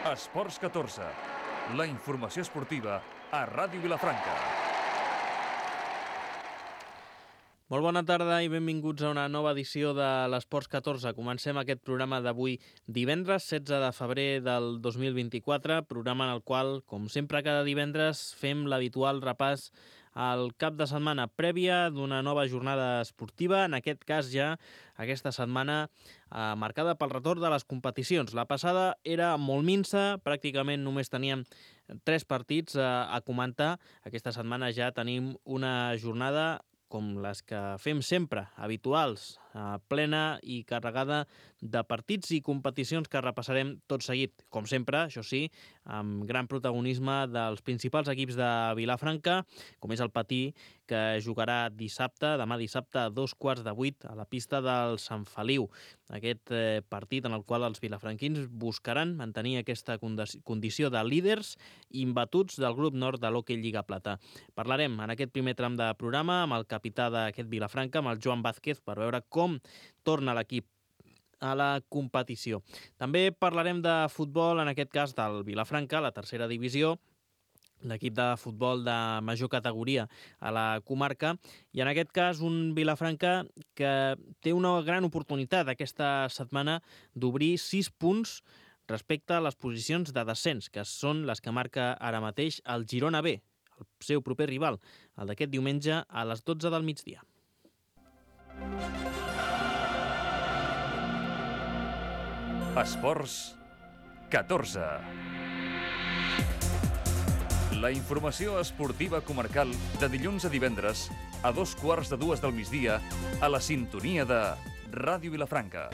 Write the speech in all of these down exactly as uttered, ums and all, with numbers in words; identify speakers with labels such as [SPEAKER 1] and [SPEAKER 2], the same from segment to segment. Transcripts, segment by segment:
[SPEAKER 1] Esports catorze, la informació esportiva a Ràdio Vilafranca.
[SPEAKER 2] Molt bona tarda i benvinguts a una nova edició de l'Esports catorze. Comencem aquest programa d'avui divendres, setze de febrer del dos mil vint-i-quatre, programa en el qual, com sempre cada divendres, fem l'habitual repàs al cap de setmana prèvia d'una nova jornada esportiva, en aquest cas ja aquesta setmana eh, marcada pel retorn de les competicions. La passada era molt minsa, pràcticament només teníem tres partits eh, a comentar. Aquesta setmana ja tenim una jornada com les que fem sempre, habituals, eh, plena i carregada de partits i competicions que repassarem tot seguit. Com sempre, això sí, amb gran protagonisme dels principals equips de Vilafranca, com és el Patí, que jugarà dissabte, demà dissabte, a dos quarts de vuit, a la pista del Sant Feliu. Aquest eh, partit en el qual els vilafranquins buscaran mantenir aquesta condició de líders imbatuts del grup nord de l'Hockey Lliga Plata. Parlarem en aquest primer tram de programa amb el capità d'aquest Vilafranca, amb el Joan Vázquez, per veure com torna l'equip a la competició. També parlarem de futbol, en aquest cas del Vilafranca, la tercera divisió, l'equip de futbol de major categoria a la comarca, i en aquest cas un Vilafranca que té una gran oportunitat aquesta setmana d'obrir sis punts respecte a les posicions de descens, que són les que marca ara mateix el Girona B, el seu proper rival, el d'aquest diumenge a les dotze del migdia.
[SPEAKER 1] Esports catorze. La informació esportiva comarcal de dilluns a divendres a dos quarts de dues del migdia a la sintonia de Ràdio Vilafranca.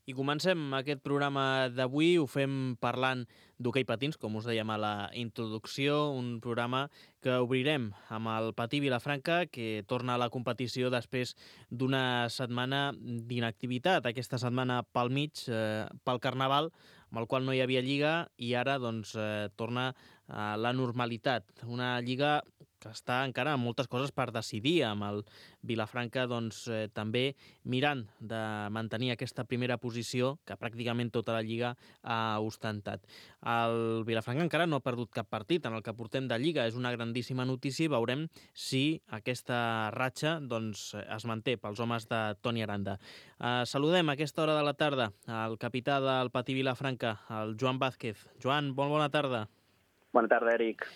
[SPEAKER 2] I comencem aquest programa d'avui, ho fem parlant d'hoquei patins, com us dèiem a la introducció, un programa que obrirem amb el Patí Vilafranca, que torna a la competició després d'una setmana d'inactivitat, aquesta setmana pel mig, eh, pel Carnaval, amb el qual no hi havia lliga, i ara doncs, eh, torna a la normalitat. Una lliga que està encara amb moltes coses per decidir, amb el Vilafranca doncs, eh, també mirant de mantenir aquesta primera posició que pràcticament tota la Lliga ha ostentat. El Vilafranca encara no ha perdut cap partit en el que portem de Lliga. És una grandíssima notícia i veurem si aquesta ratxa doncs, es manté pels homes de Toni Aranda. Eh, saludem a aquesta hora de la tarda el capità del Patí Vilafranca, el Joan Vázquez. Joan, molt bona tarda.
[SPEAKER 3] Bona tarda, Eric.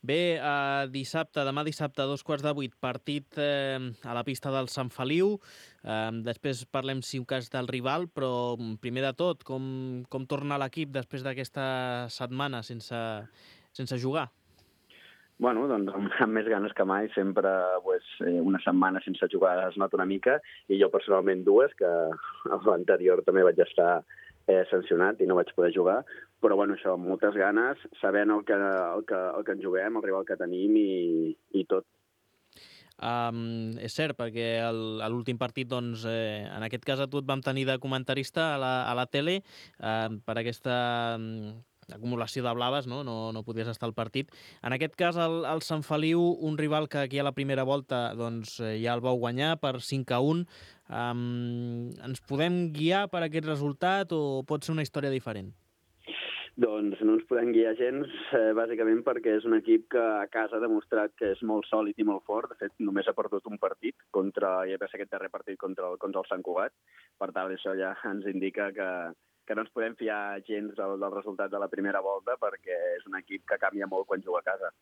[SPEAKER 2] Bé, eh, dissabte, demà dissabte, a dos quarts de vuit, partit eh, a la pista del Sant Feliu. Eh, després parlem, si un cas, del rival, però primer de tot, com, com torna l'equip després d'aquesta setmana sense, sense jugar?
[SPEAKER 3] Bueno, doncs amb, amb més ganes que mai, sempre pues, una setmana sense jugar es nota una mica, i jo personalment dues, que a l'anterior també vaig estar eh, sancionat i no vaig poder jugar, però bueno, això, amb moltes ganes, sabent el que, el que, el que ens juguem, el rival que tenim i, i tot.
[SPEAKER 2] Um, és cert, perquè el, a l'últim partit, doncs, eh, en aquest cas a tu et vam tenir de comentarista a la, a la tele, eh, per aquesta um, acumulació de blaves, no? No, no podies estar al partit. En aquest cas, el, el Sant Feliu, un rival que aquí a la primera volta doncs, ja el vau guanyar per cinc a un. Um, ens podem guiar per aquest resultat o pot ser una història diferent?
[SPEAKER 3] Doncs no ens podem guiar gens, eh, bàsicament perquè és un equip que a casa ha demostrat que és molt sòlid i molt fort. De fet, només ha perdut un partit, contra, ja va ser aquest darrer partit contra el, contra el Sant Cugat. Per tant, això ja ens indica que, que no ens podem fiar gens del, del resultat de la primera volta, perquè és un equip que canvia molt quan juga a casa.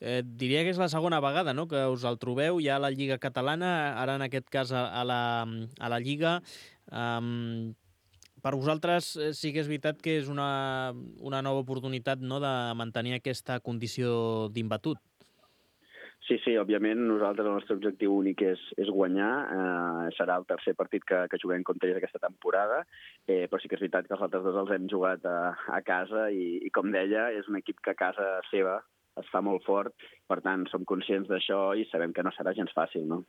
[SPEAKER 2] Eh, diria que és la segona vegada, no?, que us el trobeu ja a la Lliga Catalana, ara en aquest cas a, a, la, a la Lliga. Um, per vosaltres sí que és veritat que és una, una nova oportunitat, no?, de mantenir aquesta condició d'imbatut.
[SPEAKER 3] Sí, sí, òbviament nosaltres el nostre objectiu únic és, és guanyar, eh, serà el tercer partit que, que juguem contra ells aquesta temporada, eh, però sí que és veritat que els altres dos els hem jugat a, a casa i, i com deia, és un equip que a casa seva es fa molt fort, per tant som conscients d'això i sabem que no serà gens fàcil, no?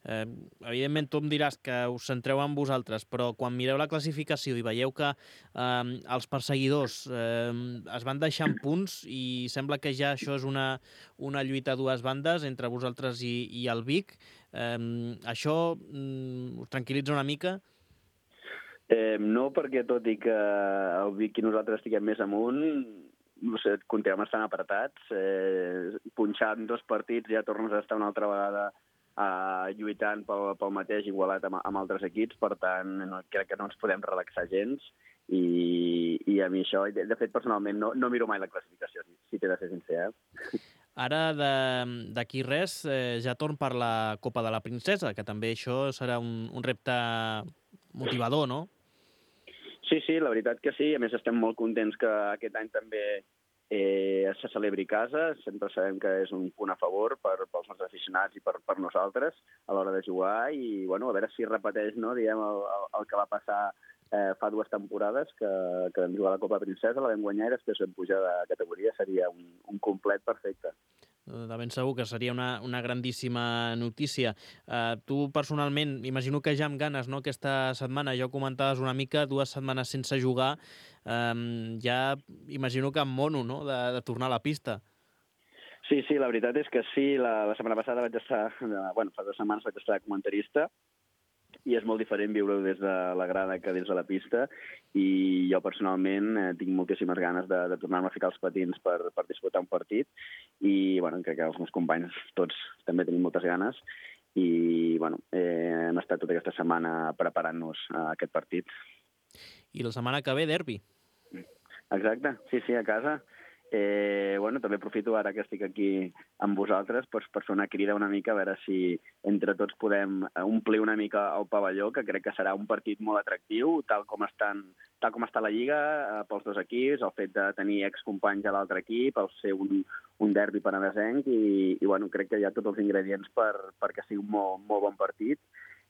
[SPEAKER 2] Eh, evidentment, tu em diràs que us centreu en vosaltres, però quan mireu la classificació i veieu que eh, els perseguidors eh, es van deixant punts i sembla que ja això és una, una lluita a dues bandes entre vosaltres i, i el Vic, eh, això mm, us tranquil·litza una mica?
[SPEAKER 3] Eh, no, perquè tot i que el Vic i nosaltres estiguem més amunt, no sé, continuem estant apretats. Eh, punxant dos partits ja tornes a estar una altra vegada eh, lluitant pel, pel mateix igualat amb, amb altres equips, per tant, no, crec que no ens podem relaxar gens i, i a mi això, de, de fet, personalment, no, no miro mai la classificació, si, si t'he de ser sincer. Eh?
[SPEAKER 2] Ara, d'aquí res, eh, ja torn per la Copa de la Princesa, que també això serà un, un repte motivador, no?
[SPEAKER 3] Sí, sí, la veritat que sí. A més, estem molt contents que aquest any també eh, se celebri a casa. Sempre sabem que és un punt a favor per, pels nostres aficionats i per, per nosaltres a l'hora de jugar i, bueno, a veure si repeteix, no, diguem, el, el, el que va passar eh, fa dues temporades, que, que vam jugar a la Copa Princesa, la vam guanyar i després vam pujar de categoria. Seria un, un complet perfecte.
[SPEAKER 2] De ben segur que seria una, una grandíssima notícia. Uh, tu, personalment, imagino que ja amb ganes, no?, aquesta setmana, ja ho comentaves una mica, dues setmanes sense jugar, um, ja imagino que amb mono, no?, de, de tornar a la pista.
[SPEAKER 3] Sí, sí, la veritat és que sí. La, la setmana passada vaig estar, bueno, fa dues setmanes vaig estar de comentarista, i és molt diferent viure-ho des de la grada que des de la pista, i jo personalment eh, tinc moltíssimes ganes de, de tornar-me a ficar els patins per, per disputar un partit, i bueno, crec que els meus companys tots també tenim moltes ganes, i bueno, eh, hem estat tota aquesta setmana preparant-nos a aquest partit.
[SPEAKER 2] I la setmana que ve, derbi.
[SPEAKER 3] Exacte, sí, sí, a casa. Eh, bueno, també aprofito ara que estic aquí amb vosaltres pues, per fer una crida una mica, a veure si entre tots podem omplir una mica el pavelló, que crec que serà un partit molt atractiu, tal com, estan, tal com està la Lliga, eh, pels dos equips, el fet de tenir excompanys a l'altre equip, el ser un, un derbi penedesenc, i, i bueno, crec que hi ha tots els ingredients per, perquè sigui un molt, molt bon partit,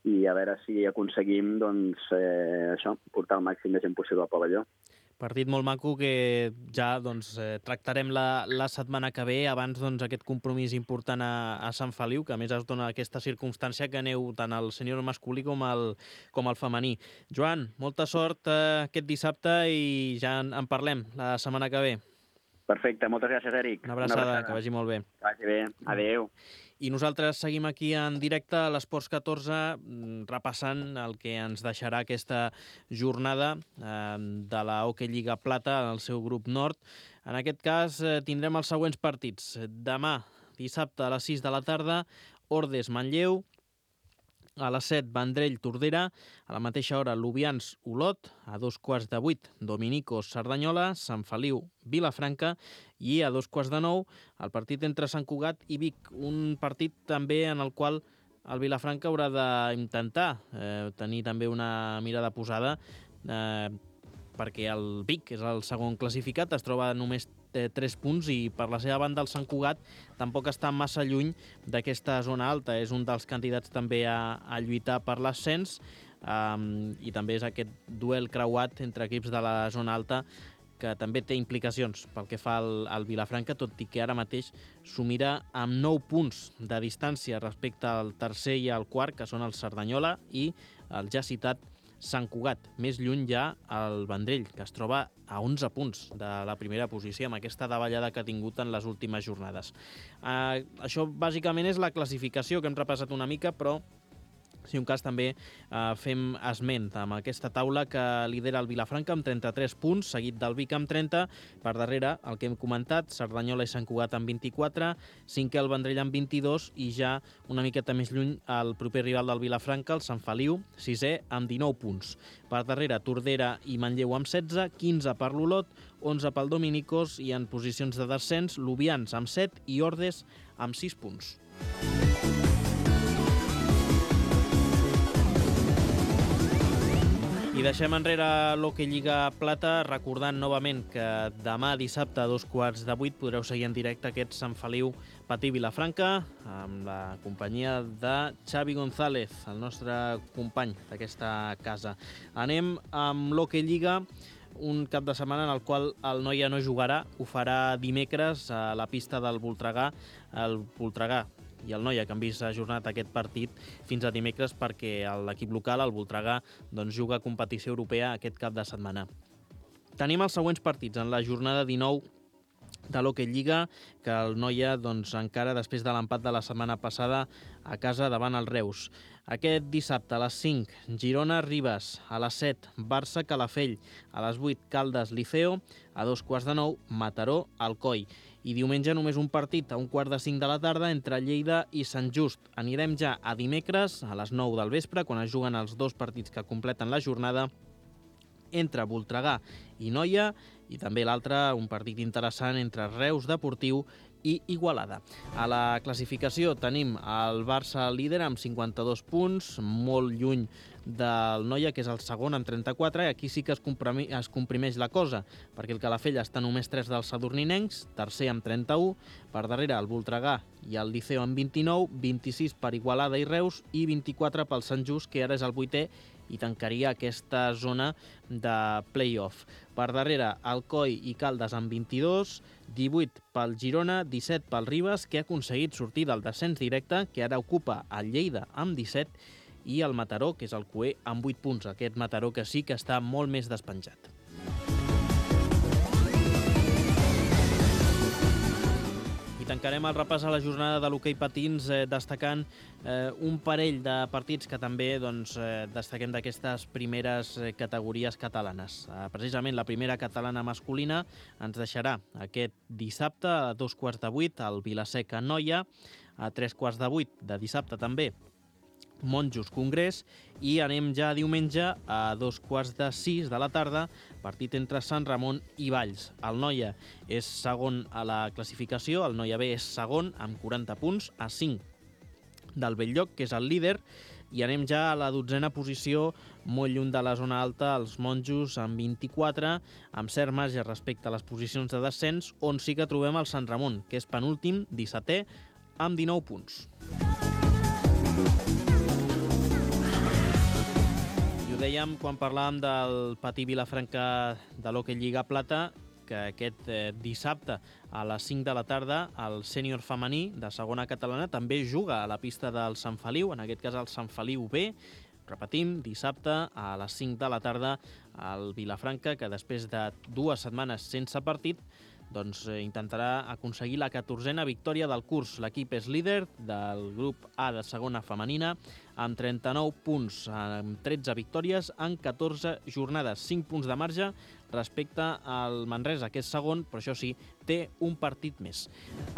[SPEAKER 3] i a veure si aconseguim doncs, eh, això, portar el màxim de gent possible al pavelló.
[SPEAKER 2] Partit molt maco que ja doncs, eh, tractarem la, la setmana que ve, abans doncs, aquest compromís important a, a Sant Feliu, que a més es dona aquesta circumstància que aneu tant al sènior masculí com al, com al femení. Joan, molta sort eh, aquest dissabte i ja en, en parlem la setmana que ve.
[SPEAKER 3] Perfecte, moltes gràcies, Eric.
[SPEAKER 2] Una abraçada, Una abraçada. Que vagi molt bé.
[SPEAKER 3] Que vagi bé, adéu.
[SPEAKER 2] I nosaltres seguim aquí en directe a l'Esports catorze repassant el que ens deixarà aquesta jornada eh, de la Hockey Lliga Plata al seu grup nord. En aquest cas eh, tindrem els següents partits. Demà, dissabte a les sis de la tarda, Ordes-Manlleu. A les set, Vendrell-Tordera. A la mateixa hora, Lubians-Olot. A dos quarts de vuit, Dominicos-Cerdanyola. Sant Feliu-Vilafranca. I a dos quarts de nou, el partit entre Sant Cugat i Vic. Un partit també en el qual el Vilafranca haurà d'intentar eh, tenir també una mirada posada, eh, perquè el Vic és el segon classificat, es troba només tres punts i per la seva banda el Sant Cugat tampoc està massa lluny d'aquesta zona alta. És un dels candidats també a, a lluitar per l'ascens um, i també és aquest duel creuat entre equips de la zona alta que també té implicacions pel que fa al, al Vilafranca, tot i que ara mateix s'ho mira amb nou punts de distància respecte al tercer i al quart, que són el Cerdanyola i el ja citat Sant Cugat. Més lluny ja el Vendrell, que es troba a onze punts de la primera posició amb aquesta davallada que ha tingut en les últimes jornades. Eh, això bàsicament és la classificació que hem repassat una mica, però si un cas també eh, fem esment amb aquesta taula que lidera el Vilafranca amb trenta-tres punts, seguit del Vic amb trenta, per darrere el que hem comentat, Cerdanyola i Sant Cugat amb vint-i-quatre, cinquè el Vendrell amb vint-i-dos i ja una miqueta més lluny el proper rival del Vilafranca, el Sant Feliu, sisè amb dinou punts. Per darrere Tordera i Manlleu amb setze, quinze per l'Olot, onze pel Dominicos i en posicions de descens Lubians amb set i Ordes amb sis punts. I deixem enrere l'Hockey Lliga Plata, recordant novament que demà dissabte a dos quarts de vuit podreu seguir en directe aquest Sant Feliu Patí Vilafranca amb la companyia de Xavi González, el nostre company d'aquesta casa. Anem amb l'Hockey Lliga, un cap de setmana en el qual el Noia no jugarà, ho farà dimecres a la pista del Voltregà. El Voltregà i el Noia, que han vist ajornat aquest partit fins a dimecres perquè l'equip local, el Voltregà, doncs, juga competició europea aquest cap de setmana. Tenim els següents partits en la jornada dinou de l'Hockey Lliga, que el Noia doncs, encara després de l'empat de la setmana passada a casa davant el Reus. Aquest dissabte a les cinc, Girona-Ribes, a les set, Barça-Calafell, a les vuit, Caldes-Liceo, a dos quarts de nou, Mataró-Alcoi. I diumenge només un partit a un quart de cinc de la tarda entre Lleida i Sant Just. Anirem ja a dimecres, a les nou del vespre, quan es juguen els dos partits que completen la jornada, entre Voltregà i Noia, i també l'altre, un partit interessant entre Reus Deportiu i Igualada. A la classificació tenim el Barça líder amb cinquanta-dos punts, molt lluny del Noia, que és el segon amb trenta-quatre, i aquí sí que es, comprimi, es comprimeix la cosa, perquè el Calafell està només tres dels sadurninencs, tercer amb trenta-u, per darrere el Voltregà i el Liceo amb vint-i-nou, vint-i-sis per Igualada i Reus i vint-i-quatre pel Sant Just, que ara és el vuitè, i tancaria aquesta zona de play-off. Per darrere, Alcoi i Caldes amb vint-i-dos, divuit pel Girona, disset pel Ribes, que ha aconseguit sortir del descens directe, que ara ocupa el Lleida amb disset, i el Mataró, que és el cuer, amb vuit punts. Aquest Mataró que sí que està molt més despenjat. I tancarem el repàs a la jornada de l'hoquei patins eh, destacant eh, un parell de partits que també doncs, eh, destaquem d'aquestes primeres eh, categories catalanes. Eh, precisament la primera catalana masculina ens deixarà aquest dissabte a dos quarts de vuit al Vilaseca Noia, a tres quarts de vuit de dissabte també Monjos Congrés, i anem ja diumenge a dos quarts de sis de la tarda, partit entre Sant Ramon i Valls. El Noia és segon a la classificació, el Noia B és segon amb quaranta punts, a cinc del Belllloc, que és el líder, i anem ja a la dotzena posició, molt lluny de la zona alta, els Monjos amb vint-i-quatre, amb cert marge respecte a les posicions de descens, on sí que trobem el Sant Ramon, que és penúltim, dissetè, amb dinou punts. Ho dèiem quan parlàvem del Patí Vilafranca de l'Hockey Lliga Plata, que aquest eh, dissabte a les cinc de la tarda el sènior femení de segona catalana també juga a la pista del Sant Feliu, en aquest cas el Sant Feliu B. Repetim, dissabte a les cinc de la tarda al Vilafranca, que després de dues setmanes sense partit doncs, eh, intentarà aconseguir la catorzena victòria del curs. L'equip és líder del grup A de segona femenina amb trenta-nou punts, amb tretze victòries en catorze jornades, cinc punts de marge respecte al Manresa, que és segon, però això sí, té un partit més.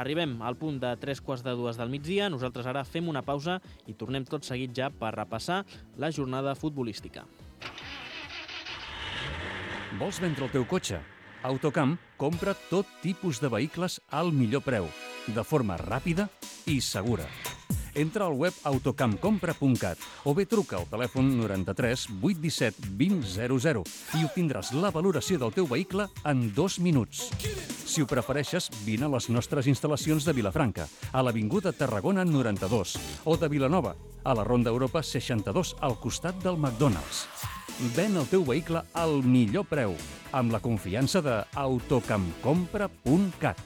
[SPEAKER 2] Arribem al punt de tres quarts de dues del migdia. Nosaltres ara fem una pausa i tornem tot seguit ja per repassar la jornada futbolística.
[SPEAKER 1] Vols vendre el teu cotxe? Autocamp compra tot tipus de vehicles al millor preu, de forma ràpida i segura. Entra al web autocamp compra punt cat o bé truca al telèfon noranta-tres vuit disset vint zero zero i obtindràs la valoració del teu vehicle en dos minuts. Si ho prefereixes, vine a les nostres instal·lacions de Vilafranca, a l'Avinguda Tarragona noranta-dos, o de Vilanova, a la Ronda Europa seixanta-dos, al costat del McDonald's. Ven el teu vehicle al millor preu, amb la confiança de autocamp compra punt cat.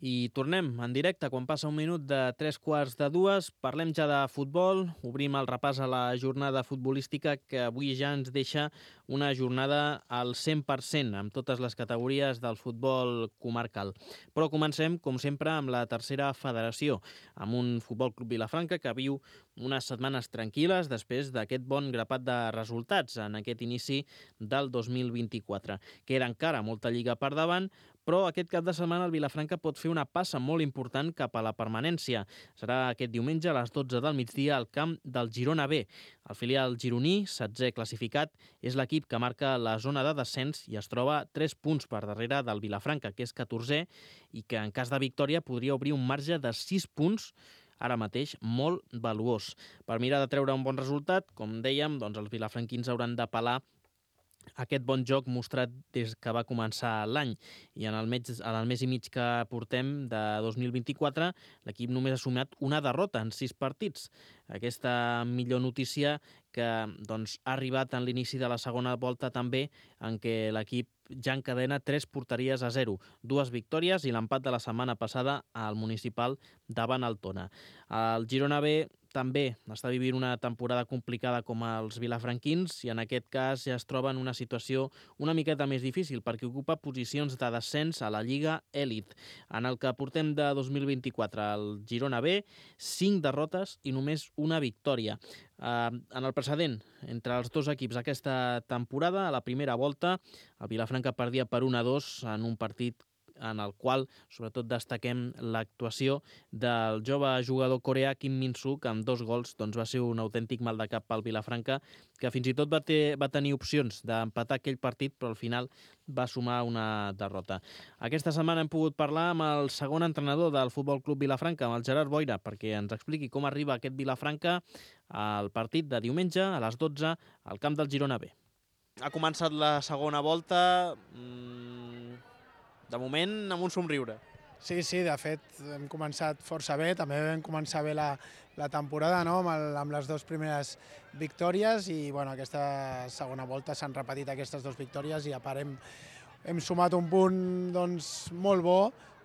[SPEAKER 2] I tornem en directe quan passa un minut de tres quarts de dues. Parlem ja de futbol, obrim el repàs a la jornada futbolística, que avui ja ens deixa una jornada al cent per cent amb totes les categories del futbol comarcal. Però comencem, com sempre, amb la tercera federació, amb un Futbol Club Vilafranca que viu unes setmanes tranquil·les després d'aquest bon grapat de resultats en aquest inici del dos mil vint-i-quatre. Queda encara molta lliga per davant, però aquest cap de setmana el Vilafranca pot fer una passa molt important cap a la permanència. Serà aquest diumenge a les dotze del migdia al camp del Girona B. El filial gironí, setzè classificat, és l'equip que marca la zona de descens i es troba tres punts per darrere del Vilafranca, que és catorzè, i que en cas de victòria podria obrir un marge de sis punts, ara mateix molt valuós. Per mirar de treure un bon resultat, com dèiem, doncs els vilafranquins hauran d'apel·lar aquest bon joc mostrat des que va començar l'any. I en el, mes, en el mes i mig que portem de dos mil vint-i-quatre, l'equip només ha sumat una derrota en sis partits. Aquesta millor notícia que doncs, ha arribat en l'inici de la segona volta també, en què l'equip ja encadena tres porteries a zero, dues victòries i l'empat de la setmana passada al municipal davant el Tona. El Girona B també està vivint una temporada complicada com els vilafranquins i en aquest cas ja es troba en una situació una miqueta més difícil perquè ocupa posicions de descens a la Lliga Elit. En el que portem de dos mil vint-i-quatre, el Girona B, cinc derrotes i només una victòria. Uh, en el precedent, entre els dos equips aquesta temporada, a la primera volta, el Vilafranca perdia per un a dos en un partit en el qual sobretot destaquem l'actuació del jove jugador coreà Kim Min-soo, que amb dos gols doncs, va ser un autèntic mal de cap pel Vilafranca, que fins i tot va, ter, va tenir opcions d'empatar aquell partit, però al final va sumar una derrota. Aquesta setmana hem pogut parlar amb el segon entrenador del Futbol Club Vilafranca, amb el Gerard Boira, perquè ens expliqui com arriba aquest Vilafranca al partit de diumenge a les dotze al camp del Girona B. Ha començat la segona volta... Mmm... De moment, amb un somriure.
[SPEAKER 4] Sí, sí, de fet, hem començat força bé, també vam començar bé la, la temporada, no?, amb, el, amb les dues primeres victòries i bueno, aquesta segona volta s'han repetit aquestes dues victòries i a part hem, hem sumat un punt doncs, molt bo,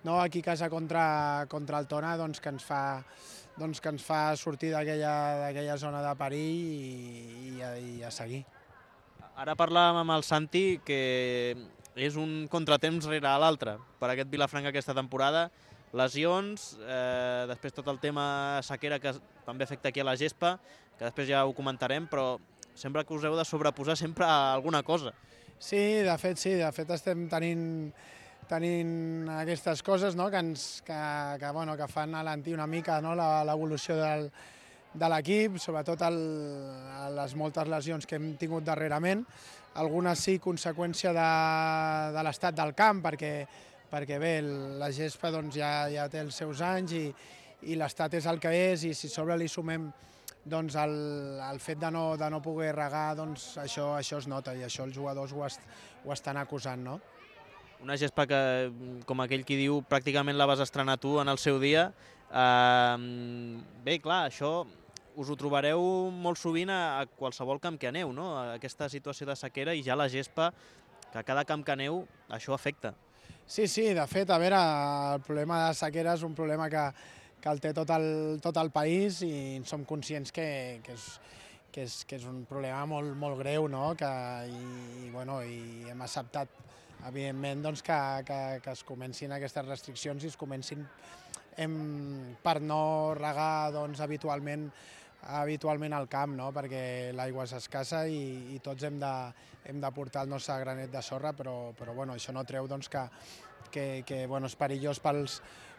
[SPEAKER 4] no?, aquí a casa contra, contra el Tona, doncs, que ens fa, doncs, que ens fa sortir d'aquella zona de perill i, i, a, i a seguir.
[SPEAKER 2] Ara parlàvem amb el Santi que és un contratemps rere l'altre per aquest Vilafranca aquesta temporada. Lesions, eh, després tot el tema sequera que també afecta aquí a la gespa, que després ja ho comentarem, però sembla que us heu de sobreposar sempre a alguna cosa.
[SPEAKER 4] Sí, de fet sí, de fet estem tenint, tenint aquestes coses, no?, que, ens, que, que, bueno, que fan alentir una mica, no?, l'evolució del, de l'equip, sobretot el, les moltes lesions que hem tingut darrerament. Algunes sí, conseqüència de, de l'estat del camp, perquè, perquè bé, la gespa doncs, ja, ja té els seus anys i, i l'estat és el que és, i si a sobre li sumem doncs, el, el fet de no, de no poder regar, doncs, això, això es nota i això els jugadors ho, est, ho estan acusant, no?
[SPEAKER 2] Una gespa que, com aquell qui diu, pràcticament la vas estrenar tu en el seu dia. Uh, bé, clar, això... us ho trobareu molt sovint a qualsevol camp que aneu, no? Aquesta situació de sequera i ja la gespa, que a cada camp que aneu això afecta.
[SPEAKER 4] Sí, sí, de fet, a veure, el problema de sequera és un problema que, que el té tot el, tot el país i som conscients que, que, és, que, és, que és un problema molt, molt greu, no? Que, i, bueno, i hem acceptat, evidentment, doncs, que, que, que es comencin aquestes restriccions i es comencin hem, per no regar doncs, habitualment habitualment al camp, no?, perquè l'aigua és escassa i, i tots hem de, hem de portar el nostre granet de sorra, però, però bueno, això no treu doncs, que, que, que bueno, és perillós pels,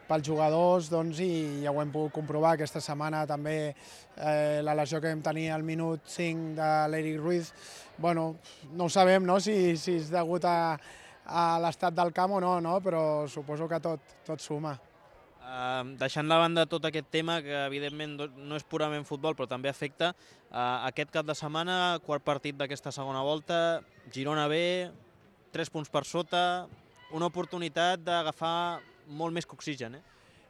[SPEAKER 4] pels jugadors doncs, i ja ho hem pogut comprovar aquesta setmana també eh, la lesió que vam tenir al minut cinc de l'Eric Ruiz, bueno, no ho sabem, no?, si, si és degut a, a l'estat del camp o no, no, però suposo que tot, tot suma.
[SPEAKER 2] Uh, deixant de banda tot aquest tema, que evidentment no és purament futbol, però també afecta, uh, aquest cap de setmana, quart partit d'aquesta segona volta, Girona B, tres punts per sota, una oportunitat d'agafar molt més que oxigen, eh?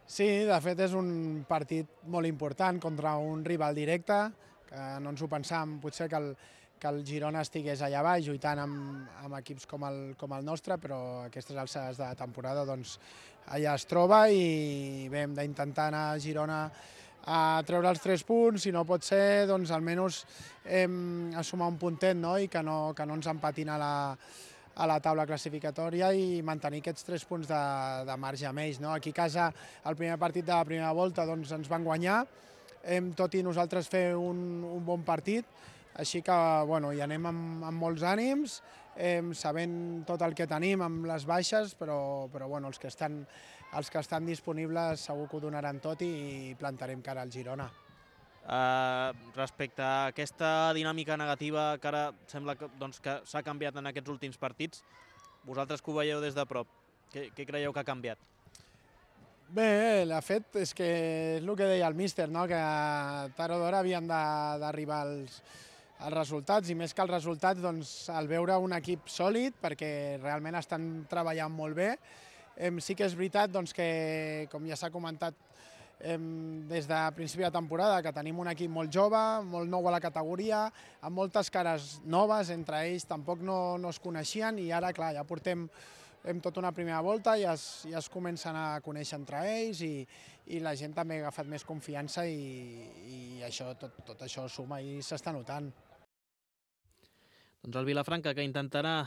[SPEAKER 4] Sí, de fet és un partit molt important contra un rival directe, que no ens ho pensàvem, potser que el, que el Girona estigués allà baix lluitant amb, amb equips com el, com el nostre, però a aquestes alçades de temporada doncs, allà es troba i bé, hem d'intentar anar a Girona a treure els tres punts, si no pot ser, doncs almenys hem a sumar un puntet, no?, i que no, que no ens empatin a la, a la taula classificatòria i mantenir aquests tres punts de, de marge amb ells, no? Aquí a casa, el primer partit de la primera volta doncs, ens van guanyar, hem, tot i nosaltres fer un, un bon partit, així que bueno, hi anem amb, amb molts ànims, eh, sabent tot el que tenim amb les baixes, però, però bueno, els, que estan, els que estan disponibles segur que ho donaran tot i plantarem cara al Girona.
[SPEAKER 2] Uh, respecte a aquesta dinàmica negativa que ara sembla que, doncs, que s'ha canviat en aquests últims partits, vosaltres que ho veieu des de prop, què, què creieu que ha canviat?
[SPEAKER 4] Bé, de fet, és que és el que deia el míster, no?, que tard o d'hora havien d'arribar els, els resultats, i més que els resultats, doncs, el veure un equip sòlid, perquè realment estan treballant molt bé. Sí que és veritat doncs, que, com ja s'ha comentat des de principi de temporada, que tenim un equip molt jove, molt nou a la categoria, amb moltes cares noves, entre ells tampoc no, no es coneixien, i ara, clar, ja portem hem tot una primera volta i ja es, ja es comencen a conèixer entre ells i, i la gent també ha agafat més confiança i, i això, tot, tot això suma i s'està notant.
[SPEAKER 2] Doncs el Vilafranca, que intentarà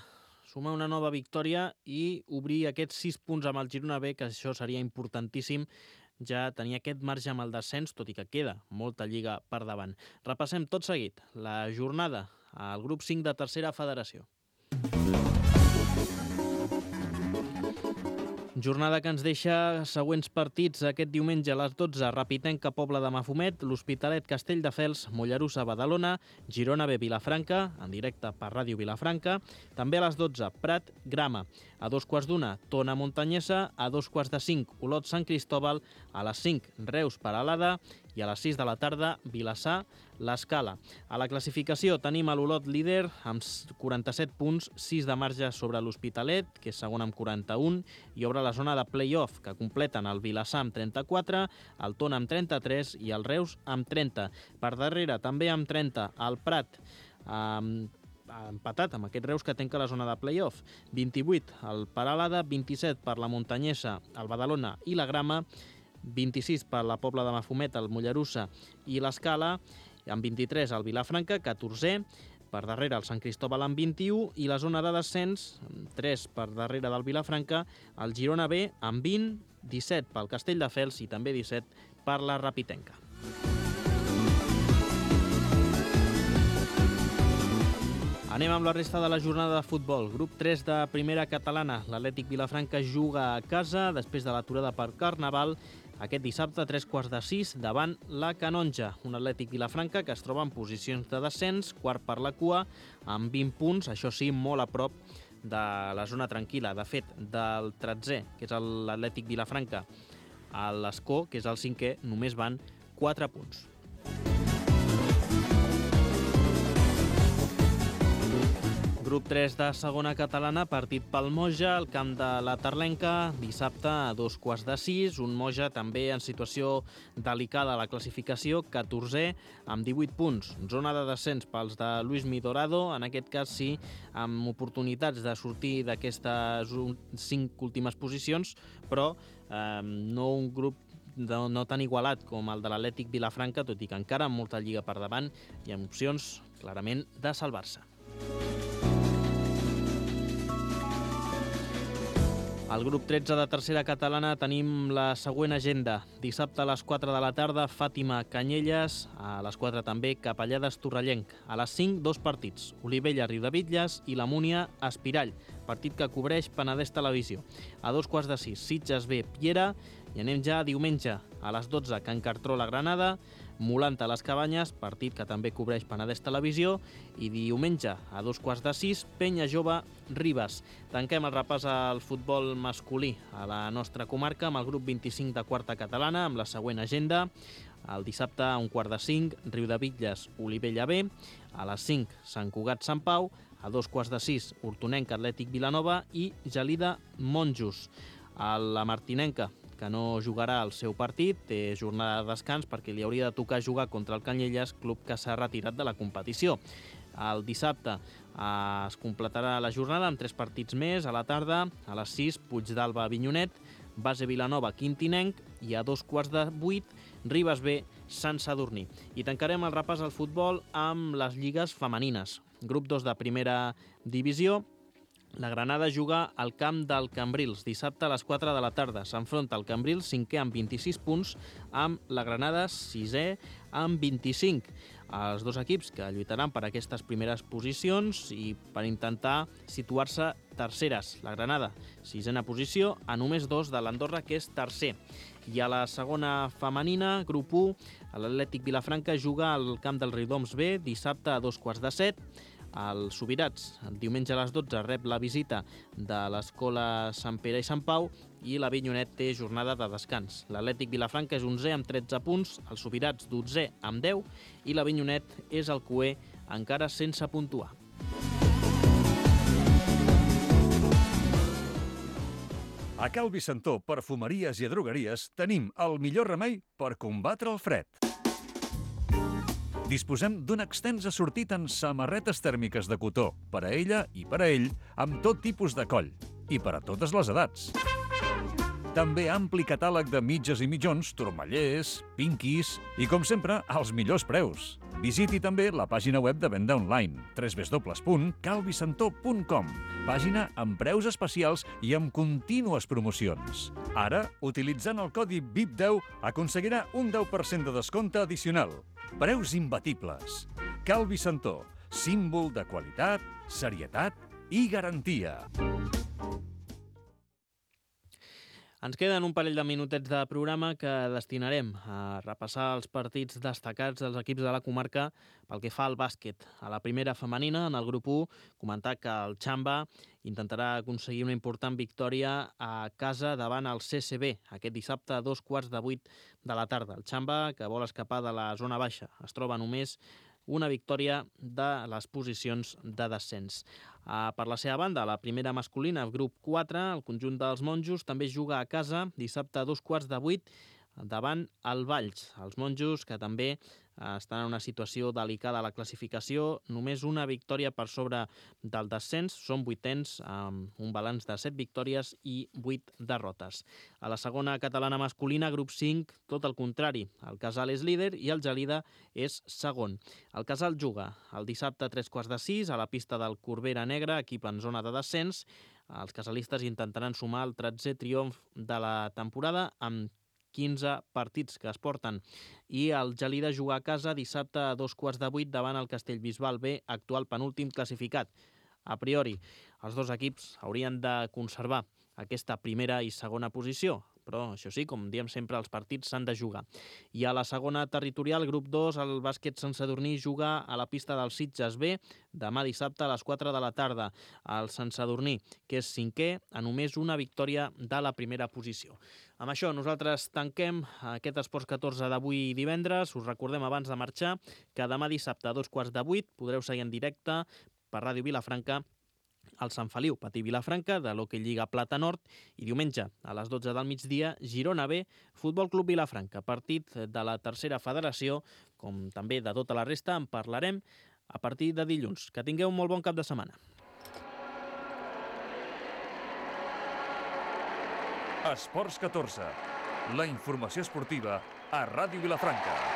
[SPEAKER 2] sumar una nova victòria i obrir aquests sis punts amb el Girona B, que això seria importantíssim, ja tenir aquest marge amb el descens, tot i que queda molta lliga per davant. Repassem tot seguit la jornada al grup cinc de tercera federació. Jornada que ens deixa següents partits aquest diumenge a les dotze, Rapitenca, Pobla de Mafumet, l'Hospitalet, Castelldefels, Mollerussa, Badalona, Girona B, Vilafranca, en directe per Ràdio Vilafranca. També a les dotze, Prat, Grama. A dos quarts d'una, Tona, Montanyesa. A dos quarts de cinc, Olot, Sant Cristòbal. A les cinc, Reus, Peralada. I a les sis de la tarda, Vilassar, l'Escala. A la classificació tenim a l'Olot líder amb quaranta-set punts, sis de marge sobre l'Hospitalet, que és segon amb quaranta-un, i obre la zona de play-off, que completen el Vilassar amb trenta-quatre, el Tona amb trenta-tres i el Reus amb trenta. Per darrere, també amb trenta, el Prat, amb empatat amb aquest Reus que tanca la zona de play-off. vint-i-vuit el Peralada, vint-i-set per la Montanyesa, el Badalona i la Grama, vint-i-sis per la Pobla de Mafumet, el Mollerussa i l'Escala, amb vint-i-tres el Vilafranca, catorzè, per darrere el Sant Cristòbal amb vint-i-u i la zona de descens, tres per darrere del Vilafranca, el Girona B amb vint, disset pel Castelldefels i també disset per la Rapitenca. Anem amb la resta de la jornada de futbol. Grup tres de primera catalana. L'Atlètic Vilafranca juga a casa després de l'aturada per Carnaval aquest dissabte a tres quarts de sis davant la Canonja. Un Atlètic Vilafranca que es troba en posicions de descens, quart per la cua, amb vint punts, això sí, molt a prop de la zona tranquil·la. De fet, del tretzè, que és l'Atlètic Vilafranca, a l'Escó, que és el cinquè, només van quatre punts. Grup tres de segona catalana, partit pel Moja, al camp de la Terlenca, dissabte a dos quarts de sis, un Moja també en situació delicada a la classificació, catorzè, amb divuit punts. Zona de descens pels de Luis Midorado, en aquest cas sí, amb oportunitats de sortir d'aquestes cinc últimes posicions, però eh, no un grup no, no tan igualat com el de l'Atlètic Vilafranca, tot i que encara amb molta lliga per davant i amb opcions clarament de salvar-se. Al grup tretze de tercera catalana tenim la següent agenda. Dissabte a les quatre de la tarda, Fàtima Canyelles, a les quatre també Capellades Torrellenc. A les cinc, dos partits, Olivella Riudebitlles i la Múnia Espirall, partit que cobreix Penedès Televisió. A dos quarts de sis, Sitges B, Piera, i anem ja a diumenge, a les dotze, Can Cartró, la Granada, Molanta, les Cabanyes, partit que també cobreix Penedès Televisió, i diumenge, a dos quarts de sis, Penya Jove, Ribes. Tanquem el repàs al futbol masculí a la nostra comarca amb el grup vint-i-cinc de quarta catalana, amb la següent agenda. El dissabte, a un quart de cinc, Riudebitlles, Olivella B. A les cinc, Sant Cugat, Sant Pau. A dos quarts de sis, Hortonenca, Atlètic Vilanova i Gelida, Monjos. A la Martinenca, que no jugarà el seu partit, té jornada de descans perquè li hauria de tocar jugar contra el Canyelles, club que s'ha retirat de la competició. El dissabte eh, es completarà la jornada amb tres partits més a la tarda. A les sis, Puigdàlber, Avinyonet, Base Vilanova, Quintinenc, i a dos quarts de vuit, Ribes B, Sant Sadurní. I tancarem el repàs al futbol amb les lligues femenines. Grup dos de primera divisió. La Granada juga al camp del Cambrils dissabte a les quatre de la tarda. S'enfronta al Cambrils, cinquè amb vint-i-sis punts, amb la Granada, sisè amb vint-i-cinc. Els dos equips que lluitaran per aquestes primeres posicions i per intentar situar-se terceres. La Granada, sisena posició, a només dos de l'Andorra, que és tercer. I a la segona femenina, grup u, l'Atlètic Vilafranca juga al camp del Riudoms B dissabte a dos quarts de set. El Subirats, el diumenge a les dotze, rep la visita de l'Escola Sant Pere i Sant Pau i l'Avinyonet té jornada de descans. L'Atlètic Vilafranca és onzè amb tretze punts, el Subirats dotzè amb deu i l'Avinyonet és el coer encara sense puntuar.
[SPEAKER 1] A Cal Vicentó, perfumeries i drogueries, tenim el millor remei per combatre el fred. Disposem d'un extens assortit en samarretes tèrmiques de cotó, per a ella i per a ell, amb tot tipus de coll, i per a totes les edats. També ampli catàleg de mitges i mitjons, turmallers, pinquis i, com sempre, als millors preus. Visiti també la pàgina web de venda online, w w w punt cal vicentó punt com, pàgina amb preus especials i amb contínues promocions. Ara, utilitzant el codi V I P deu, aconseguirà un deu per cent de descompte addicional. Preus imbatibles. Cal Vicentó, símbol de qualitat, serietat i garantia.
[SPEAKER 2] Ens queden un parell de minutets de programa que destinarem a repassar els partits destacats dels equips de la comarca pel que fa al bàsquet. A la primera femenina, en el grup u, comentar que el Xamba intentarà aconseguir una important victòria a casa davant el C C B, aquest dissabte a dos quarts de vuit de la tarda. El Xamba, que vol escapar de la zona baixa, es troba només una victòria de les posicions de descens. Uh, per la seva banda, la primera masculina, el grup quatre, el conjunt dels monjos, també juga a casa dissabte a dos quarts de vuit davant el Valls. Els monjos, que també uh, estan en una situació delicada a la classificació, només una victòria per sobre del descens, són vuitens amb un balanç de set victòries i vuit derrotes. A la segona catalana masculina, grup cinc, tot el contrari. El Casal és líder i el Gelida és segon. El Casal juga el dissabte a tres quarts de sis a la pista del Corbera Negra, equip en zona de descens. Els casalistes intentaran sumar el tretzè triomf de la temporada amb quinze partits que es porten. I el Gelida juga a casa dissabte a dos quarts de vuit davant el Castellbisbal B, actual penúltim classificat. A priori, els dos equips haurien de conservar aquesta primera i segona posició, però això sí, com diem sempre, els partits s'han de jugar. I a la segona territorial, grup dos, el bàsquet Sant Sadurní juga a la pista del Sitges B demà dissabte a les quatre de la tarda. El Sant Sadurní, que és cinquè, a només una victòria de la primera posició. Amb això nosaltres tanquem aquest Esports catorze d'avui divendres. Us recordem abans de marxar que demà dissabte a dos quarts de vuit podreu seguir en directe per Ràdio Vilafranca el Sant Feliu, Patí Vilafranca, de l'Hockey Lliga Plata Nord, i diumenge a les dotze del migdia, Girona B, Futbol Club Vilafranca, partit de la tercera federació, com també de tota la resta, en parlarem a partir de dilluns. Que tingueu un molt bon cap de setmana.
[SPEAKER 1] Esports catorze, la informació esportiva a Ràdio Vilafranca.